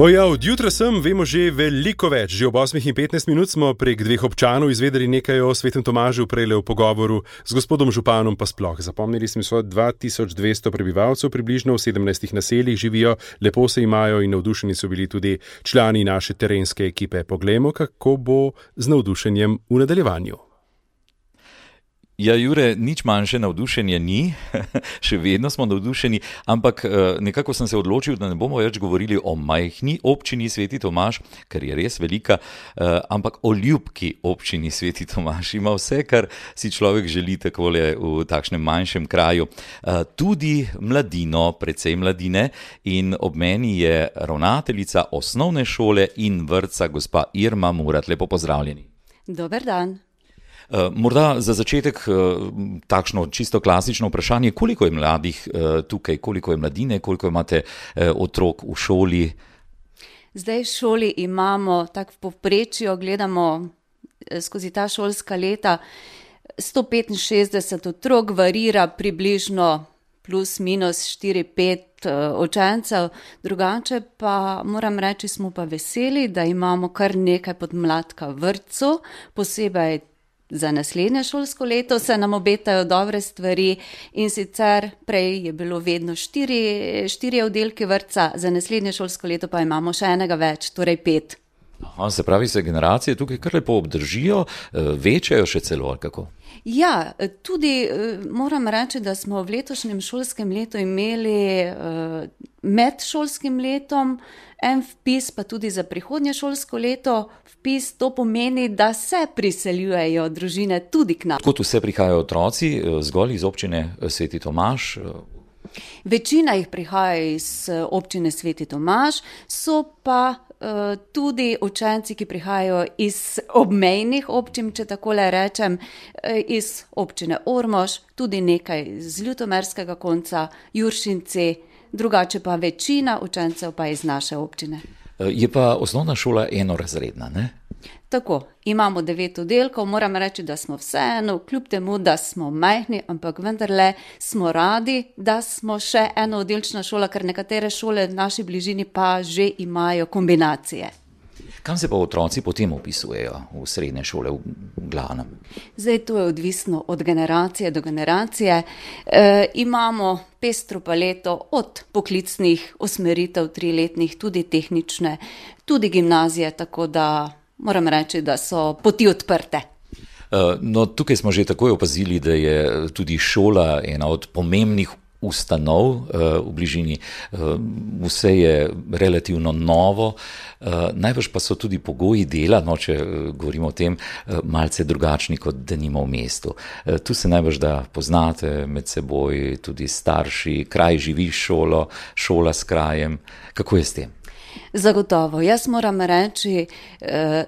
Ja, od jutra vemo že veliko več. Že ob 8:15 smo prek dveh občanov izvedeli nekaj o svetem Tomažu, prejle v pogovoru z gospodom županom pa sploh. Zapomnili smo 2200 prebivalcev, približno v 17 naseljih živijo, lepo se imajo in navdušeni so bili tudi člani naše terenske ekipe. Poglejmo, kako bo z navdušenjem v nadaljevanju. Ja, Jure, nič manjše navdušenje ni, še vedno smo navdušeni, ampak nekako sem se odločil, da ne bomo več govorili o majhni občini Sveti Tomaž, ker je res velika, ampak o ljubki občini Sveti Tomaž. Ima vse, kar si človek želi takole v takšnem manjšem kraju. Tudi mladino, precej mladine, in ob meni je ravnateljica osnovne šole in vrtca gospa Irma Murat. Lepo pozdravljeni. Dober dan. Morda za začetek takšno čisto klasično vprašanje, koliko je mladih tukaj, koliko je mladine, koliko imate otrok v šoli? Zdaj v šoli imamo, tako v povprečju gledamo skozi ta šolska leta, 165 otrok, varira približno plus minus 4-5 učencev, drugače pa moram reči, smo pa veseli, da imamo kar nekaj podmladka v vrtcu, posebej za naslednje šolsko leto se nam obetajo dobre stvari, in sicer prej je bilo vedno 4 oddelki vrtca, za naslednje šolsko leto pa imamo še enega več, torej 5. Aha, se pravi, se generacije tukaj kar lepo obdržijo, večajo še celo, ali kako? Ja, tudi moram reči, da smo v letošnjem šolskem letu imeli med šolskim letom en vpis, pa tudi za prihodnje šolsko leto vpis. To pomeni, da se priseljujejo družine tudi k nam. Kot vse prihajajo otroci, zgolj iz občine Sveti Tomaž? Večina jih prihaja iz občine Sveti Tomaž, so pa tudi učenci, ki prihajajo iz obmejnih občin, če takole rečem, iz občine Ormož, tudi nekaj z ljutomerskega konca, Juršinci, drugače pa večina učencev pa iz naše občine. Je pa osnovna šola enorazredna, ne? Tako, imamo 9 oddelkov, moram reči, da smo vseeno, kljub temu, da smo majhni, ampak vendarle smo radi, da smo še enooddelčna šola, ker nekatere šole v naši bližini pa že imajo kombinacije. Kam se pa otroci potem upisujejo v srednje šole v glavnem? Zdaj to je odvisno od generacije do generacije. Imamo pestro paleto od poklicnih usmeritev 3-letnih, tudi tehnične, tudi gimnazije, tako da moram reči, da so poti odprte. No, tukaj smo že takoj opazili, da je tudi šola ena od pomembnih ustanov v bližini. Vse je relativno novo, najbrž pa so tudi pogoji dela, no, če govorimo o tem, malce drugačni kot denimo v mestu. Tu se najbrž da poznate med seboj, tudi starši, kraj živi šolo, šola s krajem. Kako je s tem? Zagotovo. Jaz moram reči,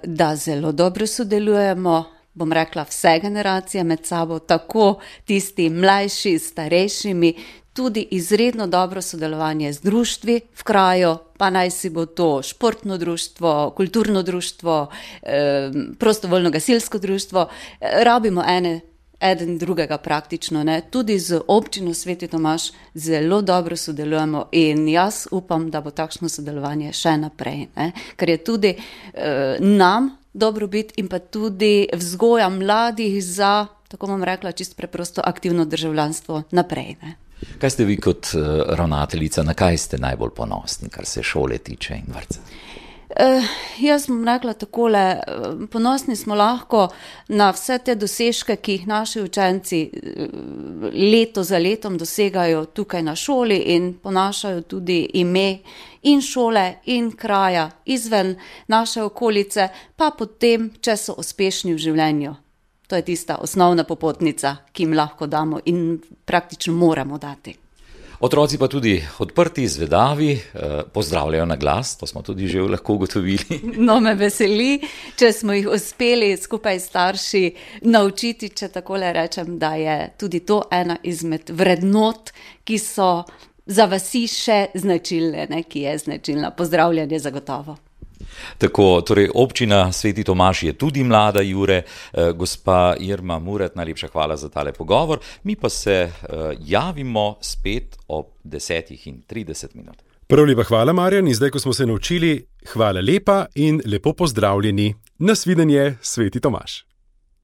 da zelo dobro sodelujemo, bom rekla, vse generacije med sabo, tako tisti mlajši, starejšimi, tudi izredno dobro sodelovanje z društvi v kraju, pa naj si bo to športno društvo, kulturno društvo, prostovoljno gasilsko društvo, rabimo eden drugega praktično, ne. Tudi z občino Sveti Tomaž zelo dobro sodelujemo in jaz upam, da bo takšno sodelovanje še naprej, ne. Ker je tudi nam dobrobit in pa tudi vzgoja mladih za, tako bom rekla, čisto preprosto aktivno državljanstvo naprej, ne. Kaj ste vi kot ravnateljica, na kaj ste najbolj ponosni, kar se šole tiče in vrtca? Jaz bom rekla takole, ponosni smo lahko na vse te dosežke, ki jih naši učenci leto za letom dosegajo tukaj na šoli in ponašajo tudi ime in šole in kraja izven naše okolice, pa potem, če so uspešni v življenju. To je tista osnovna popotnica, ki jim lahko damo in praktično moramo dati. Otroci pa tudi odprti, zvedavi, pozdravljajo na glas, to smo tudi že lahko ugotovili. No, me veseli, če smo jih uspeli skupaj s starši naučiti, če takole rečem, da je tudi to ena izmed vrednot, ki so za vasi še značilne, ne, ki je značilna. Pozdravljanje zagotovo. Tako, torej občina Sveti Tomaž je tudi mlada, Jure. Gospa Irma Murat, najlepša hvala za tale pogovor. Mi pa se javimo spet ob 10:30. Prav lepa hvala, Marjan, in zdaj, ko smo se naučili, hvala lepa in lepo pozdravljeni. Nasvidenje, Sveti Tomaž.